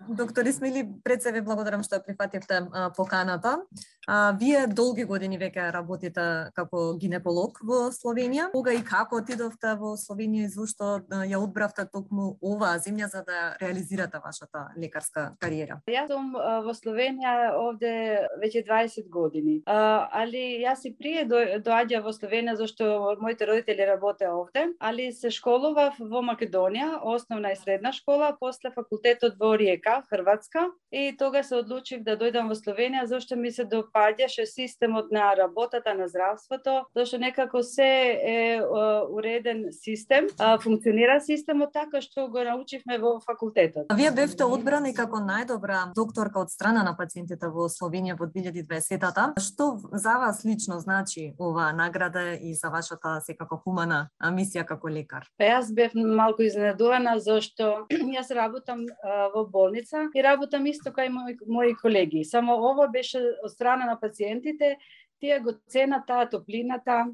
Доктор Исмаили, пред се ви благодарам што прифативте поканата. Вие долги години веќе работите како гинеколог во Словенија. Кога и како отидовте во Словенија и зошто ја одбравте токму оваа земја за да реализирате вашата лекарска кариера? Јас сум во Словенија овде веќе 20 години. Али јас и прие доаѓа во Словенија зашто моите родители работеа овде, али се школував во Македонија, основна и средна школа, после факултетот во Риека, Хрватска, и тога се одлучив да дојдам во Словенија зашто ми се допаѓаше системот на работата на здравството, зашто некако се е уреден систем, функционира системот така што го научивме во факултетот. Вие бевте одбрани како најдобра докторка од страна на пациентите во Словенија во 2020-та. Што за вас лично значи оваа награда и за вашата секако хумана мисија како лекар? Јас бев малку изненадувана зашто јас работам во болница и работам исто кај мои колеги. Само ова беше од страна на пациентите, тие го цена таа топлината,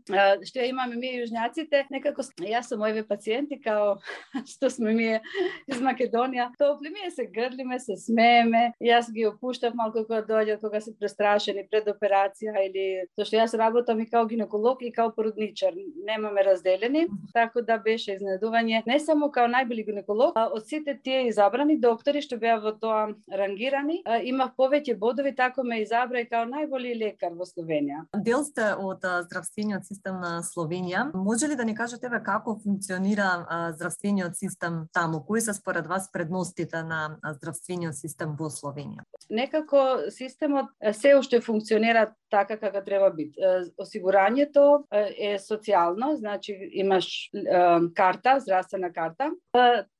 што ја имаме ние јужњаците, некако јас со моите пациенти као што сме ние из Македонија, топли ние се грлиме, се смееме, јас ги опуштав малку кога доаѓаат, кога се престрашени пред операција или зашто јас работам и као гинеколог и као породничар, немаме разделени, така да беше изненадување не само као најболи гинеколог, од сите тие изабрани доктори што беа во тоа рангирани, имав повеќе бодови, така ме изабра и као најболи лекар во Словенија. Дел сте од здравствениот систем на Словенија. Може ли да ни кажете како функционира здравствениот систем таму? Кои се според вас предностите на здравствениот систем во Словенија? Некако системот се уште функционира така како треба бит. Осигурањето е социјално, значи имаш карта, здравствена карта,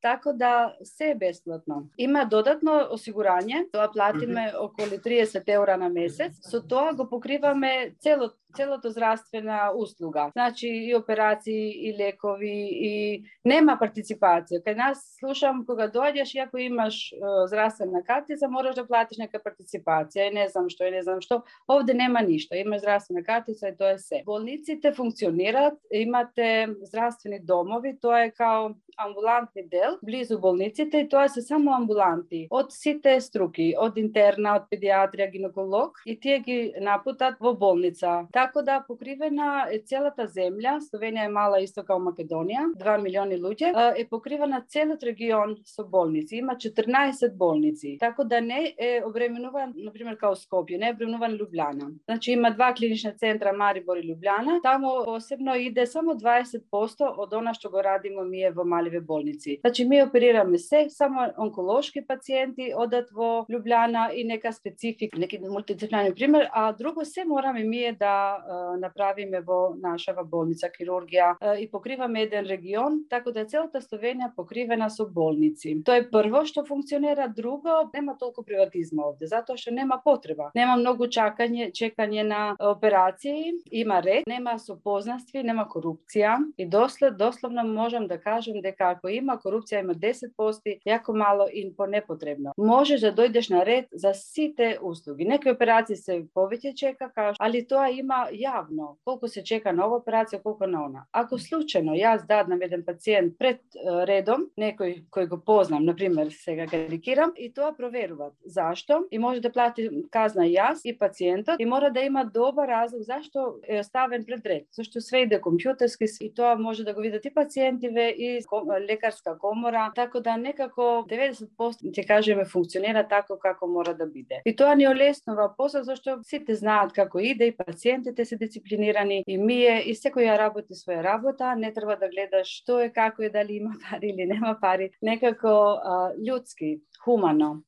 така да се е бесплатно. Има додатно осигурање, тоа платиме околу 30 евра на месец, со тоа го покриваме целото здравствена услуга. Значи и операции, и лекови, и нема партиципација. Кај нас слушам кога доаѓаш и ако имаш здравствена картица, мораш да платиш нека партиципација и не знам што. Овде нема ништо. Има здравствена картица и тоа е се. Болниците функционираат, имате здравствени домови, тоа е као амбулантни дел близу болниците и тоа се само амбуланти од сите струки, од интерна, од педиатрија, гинеколог и тие ги напутат во болница. Така да покривена е целата земја, Словенија е мала исто као Македонија, 2 милиони луѓе, е покривена целиот регион со болници. Има 14 болници. Така да не е обременуван, например као Скопје, не е обременуван Лјубљана. Значи има два клинични центра Марибор и Лјубљана. Таму посебно иде само 20% од она што го радиме ние во маливе болници. Значи ми оперираме се, само онколошки пациенти одат во Лјубљана и нека специфик, неки мултидисциплинарни пример, а друго се мораме ние да направиме во нашава болница хирургија и покриваме еден регион, така да целата Словенија покривена со болници. Тоа е прво што функционира, друго нема толку приватизма овде, затоа што нема потреба. Нема многу чекање на операции, има ред, нема сопознанство, нема корупција и дословно можам да кажам дека ако има корупција има 10%, јако мало и по непотребно. Можеш да дојдеш на ред за сите услуги. Некои операции се повеќе чека, али тоа има јавно, колку се чека на ова операција, колку на она. Ако случајно јас даднам еден пациент пред редом, некој кој го познам, например, сега карикирам, и тоа проверуваат. Зашто? И може да плати казна јас и пациентот, и мора да има добар разлог зашто е оставен пред ред. Зашто све иде компјутерски и тоа може да го видат и пациентиве и лекарска комора, така да некако 90% ќе кажеме функционира така како мора да биде. И тоа ни олеснува после зашто сите знаат како иде и пациентите се дисциплинирани и ние и секој ја работи своја работа, не треба да гледаш што е, како е, дали има пари или нема пари, некако људски, хумано.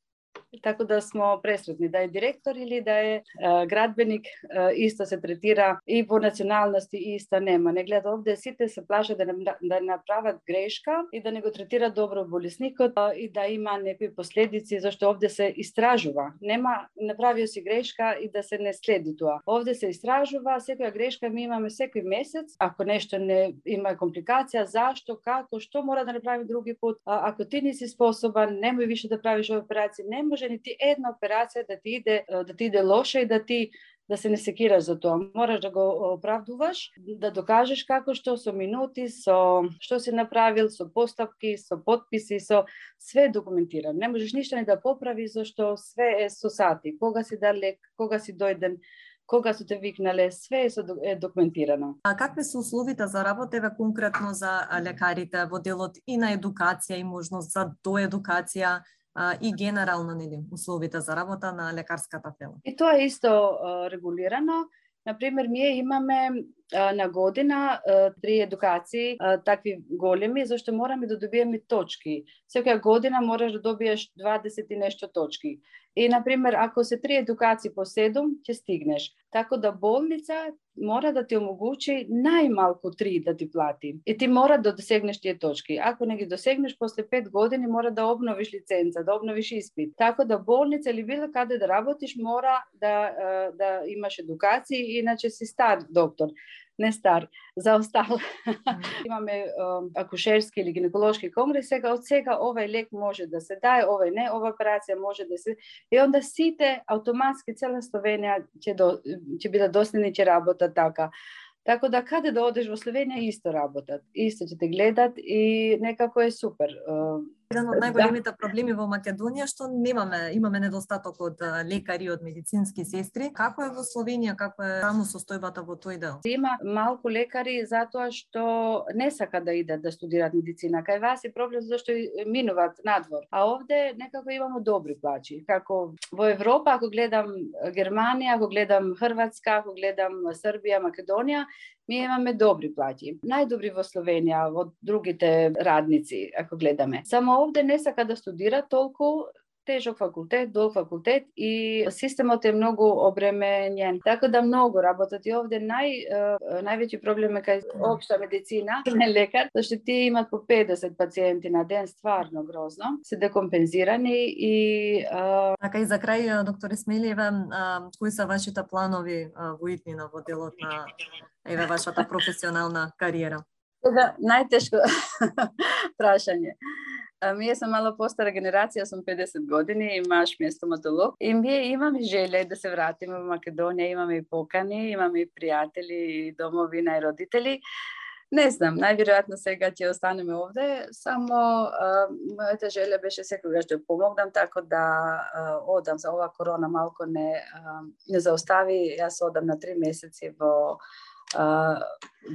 Така да смо пресретни, да е директор или да е градбеник, исто се третира и во националности иста нема. Не гледа овде сите се плашат да направат грешка и да не го третира добро болесникот и да има некои последици, зашто овде се истражува. Нема направио си грешка и да се не следи тоа. Овде се истражува, секоја грешка ми имаме секој месец, ако нешто не има компликација, зашто, како, што мора да направи други пат, ако ти не си способен, немој више да правиш операција, не може нити една операција да ти иде лоша и да ти да се не секираш за тоа. Мораш да го оправдуваш, да докажеш како што со минути, со што си направил, со постапки, со потписи, со све документирано. Не можеш ништо ни да поправиш зашто све е со сати. Кога си дал лек, кога си дојден, кога се те викнале, све е документирано. А какви се условите за работа еве конкретно за лекарите во делот и на едукација и можност за доедукација и генерално нели условите за работа на лекарската фела? И тоа е исто регулирано. Например, ние имаме на година 3 едукации, такви големи, зашто мораме да добиеме точки. Секоја година можеш да добиеш 20 и нешто точки. И, например, ако се 3 едукации по 7, ќе стигнеш. Така да болница мора да ти омогучи најмалку 3 да ти плати. И ти мора да досегнеш тие точки. Ако не ги досегнеш, после 5 години мора да обновиш лиценца, да обновиш испит. Така да болница или било каде да работиш, мора да имаш едукации, иначе си стар доктор. Не стар, заостал. Имаме акушерски или гинеколошки конгрес, од сега овај лек може да се дае, овај не, ова операција може да се... И онда сите автоматски цела Словенија ќе бидат доследни, ќе работат така. Така да каде да одеш во Словенија исто работат, исто ќе те гледат и некако е супер. Еден од најголемите проблеми во Македонија што имаме недостаток од лекари, од медицински сестри. Како е во Словенија, како е таму состојбата во тој дел? Има малку лекари затоа што не сакаат да идат да студираат медицина. Кај вас е проблем зашто минуваат надвор. А овде некако имамо добри плачи. Како во Европа, ако гледам Германија, ако гледам Хрватска, ако гледам Србија, Македонија, ми имаме добри плати. Најдобри во Словенија од другите радници, ако гледаме. Само овде не сака да студира толку, тежок факултет, долг факултет и системот е многу обременен. Така да многу работат и овде највеќи проблем е кај општа медицина, не лекар, зашто тие имат по 50 пациенти на ден, стварно грозно. Се декомпензирани и Така и за крај, доктор Исмелиева, кои се вашите планови во иднина во делот на вашата професионална кариера? Најтешко прашање. Ние сум мало постара генерација, сум 50 години, и маж ми е стоматолог. И ние имаме желе да се вратиме во Македонија, имаме и покани, имаме и пријатели, и домовина, и родители. Не знам, најверојатно сега ќе останеме овде, само мојата желја беше секогаш да помогнам, така да одам за ова корона малку не заостави. Јас одам на 3 месеци во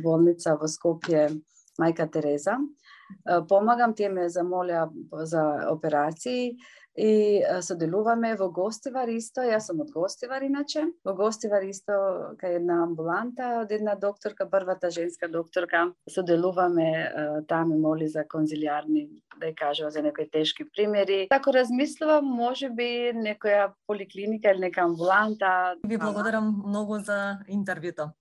болница во Скопје Мајка Тереза. Помагам, тие ме замолеа за операции и соделуваме во Гостивар исто. Јас сум од Гостивар иначе. Во Гостивар исто кај една амбуланта од една докторка, првата женска докторка. Соделуваме, таа ме моли за конзилиарни, да ја кажува за некои тешки примери. Тако размислувам, можеби некоја поликлиника или нека амбуланта. Ви благодарам многу за интервјуто.